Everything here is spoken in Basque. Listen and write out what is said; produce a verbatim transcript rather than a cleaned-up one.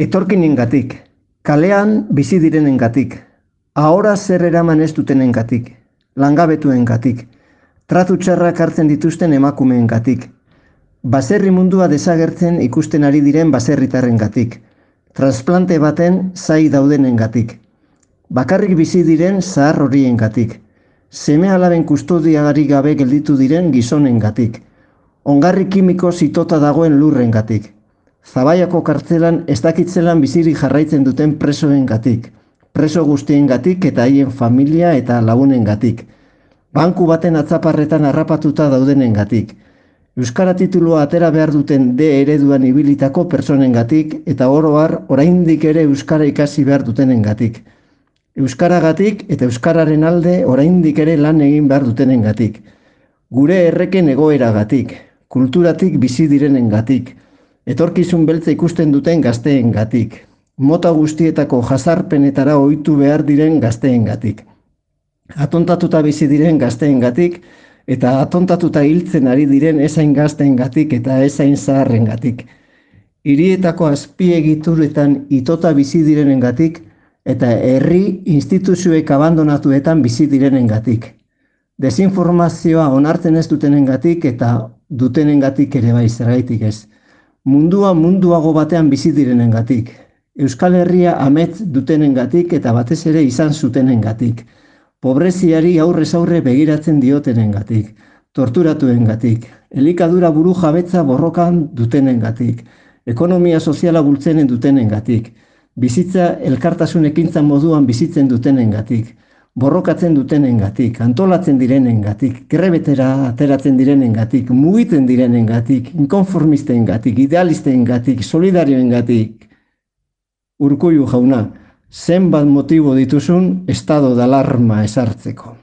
Etorkinengatik, kalean bizi direnengatik, ahora zer eraman ez dutenengatik, langabetuengatik, tratu txarrak hartzen dituzten emakumeengatik, baserri mundua desagertzen ikusten ari diren baserritarrengatik, transplante baten zai daudenengatik, bakarrik bizi diren zahar horiengatik, seme-alaben kustodiagarik gabe gelditu diren gizonengatik, ongarri kimiko zitota dagoen lurrengatik, Zabaiako kartzelan ez dakitzelan bizirik jarraitzen duten presoengatik, preso guztiengatik eta haien familia eta lagunengatik, banku baten atzaparretan harrapatuta daudenengatik, euskara titulua atera behar duten D ereduan ibilitako personengatik eta oro har oraindik ere euskara ikasi behar dutenengatik, euskaragatik eta euskararen alde oraindik ere lan egin behar dutenengatik, gure erreken egoeragatik, kulturatik bizi direnengatik, etorkizun beltza ikusten duten gazteengatik, mota guztietako jazarpenetara ohitu behar diren gazteengatik, atontatuta bizi diren gazteengatik eta atontatuta hiltzen ari diren ezain gazteengatik eta ezain zaharrengatik, hirietako azpiegituretan itota bizi direnengatik eta herri instituzioek abandonatuetan bizi direnengatik, desinformazioa onartzen ez dutenengatik eta dutenengatik ere bai zergaitik ez. Mundua munduago batean bizi direnengatik, Euskal Herria amets dutenengatik eta batez ere izan zutenengatik, pobreziari aurrez aurre begiratzen diotenengatik, torturatuengatik, elikadura buru jabetza borrokan dutenengatik, ekonomia soziala bultzenen dutenengatik, bizitza elkartasun ekintza moduan bizitzen dutenengatik, borrokatzen dutenengatik, antolatzen direnengatik, grebetera ateratzen direnengatik, mugiten direnengatik, inkonformistengatik, idealistengatik, solidarioengatik. Urkullu jauna, zenbat motibo dituzun estado de alarma ezartzeko.